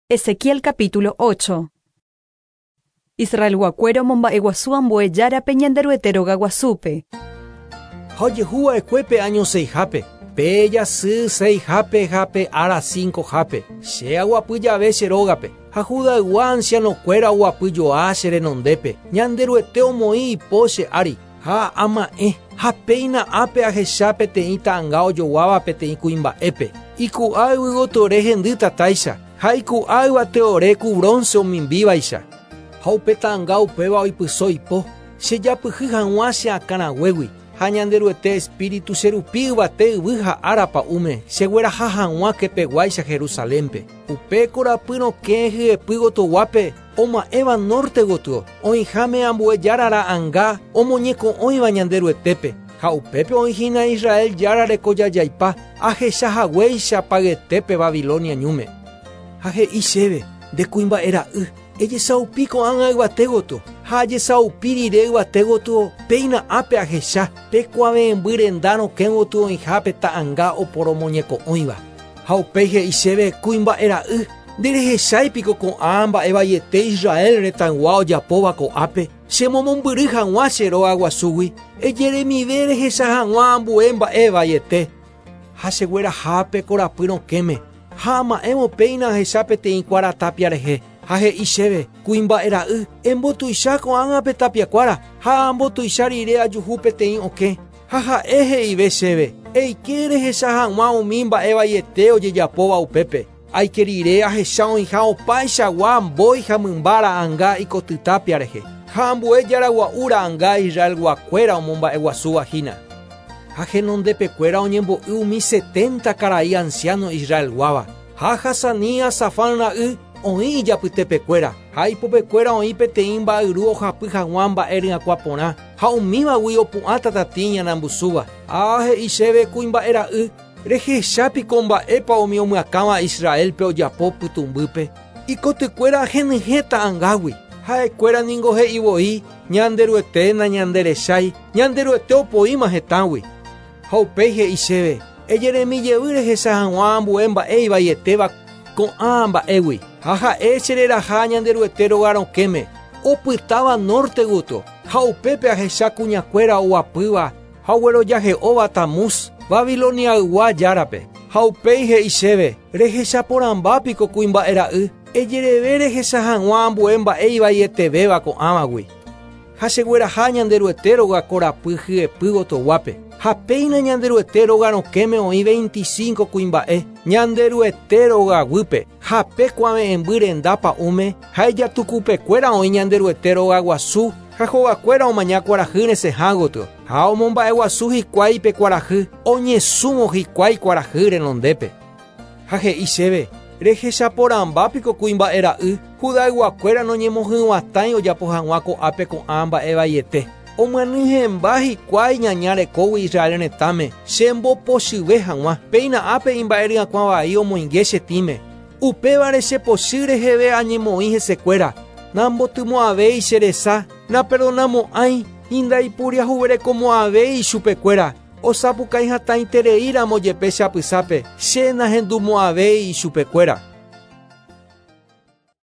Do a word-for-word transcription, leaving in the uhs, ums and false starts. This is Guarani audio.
Ezequiel capítulo ocho. Israelguakuéra omomba'eguasu ambue járape Ñanderuete rogaguasúpe. Ha ojehu va'ekue año seihápe, pe jasy seihápe ha pe ára cincohápe, che aguapy jave che rógape, ha Judaygua ancianokuéra oguapyjoa che renondépe, Ñanderuete omoĩ ipo che ári, ha ama'ẽ, ha péina ápe ahecha peteĩ ta'ãnga ojoguáva peteĩ kuimba'épe, iku'a yvygotyore hendy tatáicha, ha iku'a yvateore ku bronce omimbívaicha. Ha upe ta'ãnga upéva oipyso ipo, chejapyhy hag̃ua che akãraguégui, ha Ñanderuete espíritu cherupi yvate yvy ha ára pa'ũme, chegueraha hag̃ua kepeguáicha Jerusalénpe. Upe korapy rokẽ hyepy gotyoguápe, oma'ẽva norte gotyo, oĩháme ambue jára ra'ãnga omoñeko'õiva Ñanderuetépe, ha upépe oĩhína Israel jára rekojajaipa, ahecha haguéicha payetépe Babilonia ñúme. Ha he'i chéve, nde kuimba'e ra'y, ejesaupi ko'ág̃a yvate gotyo, ha ajesaupi rire yvate gotyo, péina ápe ahecha, pe kuave'ẽmby renda rokẽ gotyo oĩhápe ta'ãnga oporomoñeko'õiva. Ha upéi he'i chéve, kuimba'e ra'y, nderehecháipiko ko'ã mba'e vaiete Israel retãygua ojapóva ko'ápe, chemomombyry hag̃ua che rogaguasúgui, ejeremive rehecha hag̃ua ambue mba'e vaiete. Ha cheguerahápe korapy rokẽme, ha ama'ẽvo péina ahecha peteĩ kuára tápia rehe, ha he'i chéve, kuimba'e ra'y, embotuicha ko'ág̃a pe tapiakuára, ha ambotuicha rire ajuhu peteĩ okẽ, ha ha'e he'ive chéve, eike rehecha hag̃ua umi mba'e vaiete ojejapóva upépe. Aike rire ahecha oĩha opaichagua mbói ha mymba ra'ãnga ikoty tápia rehe, ha ambue jára gua'u ra'ãnga Israelguakuéra omomba'eguasúva hína. Ha henondepekuéra oñembo'y umi setenta karai anciano Israelguáva, ha Jazanías Safán ra'y oĩ ijapytepekuéra, ha ipopekuéra oĩ peteĩ mba'yru ohapy hag̃ua mba'e ryakuã porã, ha umívagui opu'ã tatatĩ ñanambusúva. Ha he'i chéve kuimba'e ra'y, rehechápiko mba'épa umi omyakãva Israelpe ojapo pytũmbýpe, ikotykuéra henyhẽ ta'ãngágui. Ha'ekuéra ningo he'i voi, Ñanderuete nañanderechái, Ñanderuete opoíma hetãgui. Ha upéi he'i chéve, ejeremi jey rehecha hag̃ua ambue mba'e ivaietéva ko'ã mba'égui. Ha ha'e chereraha Ñanderuete róga rokẽme, opytáva norte gotyo, ha upépe ahecha kuñakuéra oguapýva ha oguerojahe'óva Tamuz, Babiloniaygua járape. Ha upéi he'i chéve, rehechaporãmbápiko kuimba'e ra'y, ejereve rehecha hag̃ua ambue mba'e ivaietevéva ko'ãvagui. Ha chegueraha Ñanderuete róga korapy hyepy gotyoguápe. Ha péina Ñanderuete róga rokẽme oĩ veinticinco kuimba'e, Ñanderuete rogaguýpe, ha pe kuave'ẽmby renda pa'ũme, ha ijatukupekuéra oĩ Ñanderuete rogaguasu, ha hogakuéra omaña kuarahy resẽha gotyo, ha omomba'eguasu hikuái pe kuarahy, oñesũvo hikuái kuarahy renondépe. Ha he'i chéve, rehechaporãmbápiko kuimba'e ra'y, Judayguakuéra noñemohyg̃uatãi ojapo hag̃ua ko'ápe ko'ã mba'e vaiete. Omyanyhẽmba hikuái ñaña rekógui Israel retãme, chembopochyve hag̃ua, péina ápe imba'e ryakuã vai omoinge che tĩme. Upévare chepochy reheve añemoĩ hesekuéra, nambotymo'ãvéi che resa, naperdonamo'ãi, indaipuriahuverekomo'ãvéi ichupekuéra, osapukái hatãitereíramo jepe che apysápe, che nahendumo'ãvéi ichupekuéra.